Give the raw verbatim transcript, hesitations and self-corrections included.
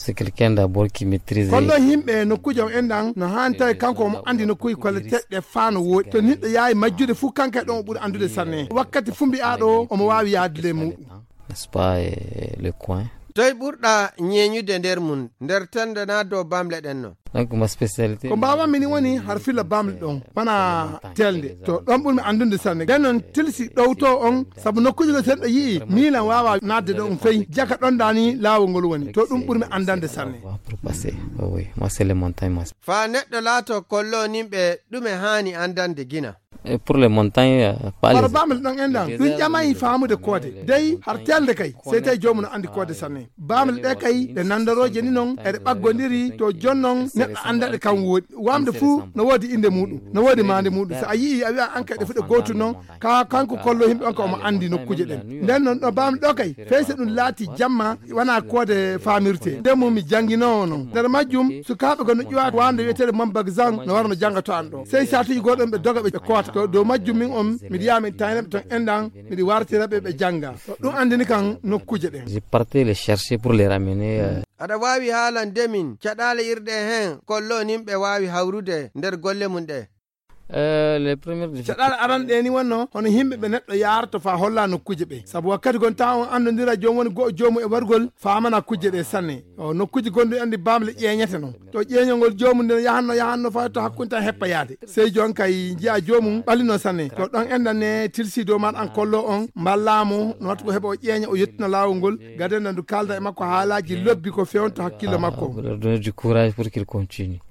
c'est quelqu'un d'abord qui maîtrise kollo himbe no kujo endan no hanta kanko mo andi no kuy kolle tedde faano wodi to niddo yaay majjude fu kanka don buri andude sanne wakkati fumbi aado o mo waawi yaadle mu n'est-ce pas le coin toy burda nyenyude nder mun nder tande na do bamle den no donc ma spécialité ko baba mini woni har fila bamle don bana telde to don burmi andunde sanne ganon tilsi dowto on sabu nokkuji go seddo yi milan wawa nadde don fey jaka don dani lawo ngol woni to dum burmi andande sanne pour passer oui moi c'est les montagnes fa neddo lato kollo nimbe dume hani andande gina et pour les montagnes pas les bamle don endan dun jamay faamude kode dey har telde kay sai tay jomum andi kode sanne bamle de kay de nandaroje ni non e de baggondiri to jonnon neddo andade kan wodi wamde fu no wodi inde mudum no wodi mande mudum so ayi a wi an kay de fude gotu non ka kanko kollo himbe on ko mo andi nokkuje den den non do bamle do kay feyse dum laati jamma wana kode faamirte demo mi jangino non der majjum su kaabe go no ƴuwa wande wetere mambag zang no warno jangato an do sey satuji godon be doga be kota to do majjum min on mi diami tayne ton endan mi wartira be be janga dum andini kan nokkuje den j'ai parti les chercher pour les ramener euh... ada wawi haalan demin cadale irde hen kollo nimbe wawi hawrude nder golle mun de Euh, les premières cadal aran de ni wonno hono himbe be neddo yarto fa holla no kuje be sabu wakkati gon taw andondira jom woni go jomu e wargol faamana kuje de sanne o no kuje gondo andi bamle ƴeñete non to ƴeñongol jomu den yahanno yahanno fa to hakkunta heppa yaade sey jon kay jiya jomu balino sanne to don endane tilsi do man an kollo on ballamo no watko hebo ƴeña o yettina lawol gaden ndu kalda e makko haalaji lobbi ko fewnto hakkilo makko donner du courage pour qu'il continue.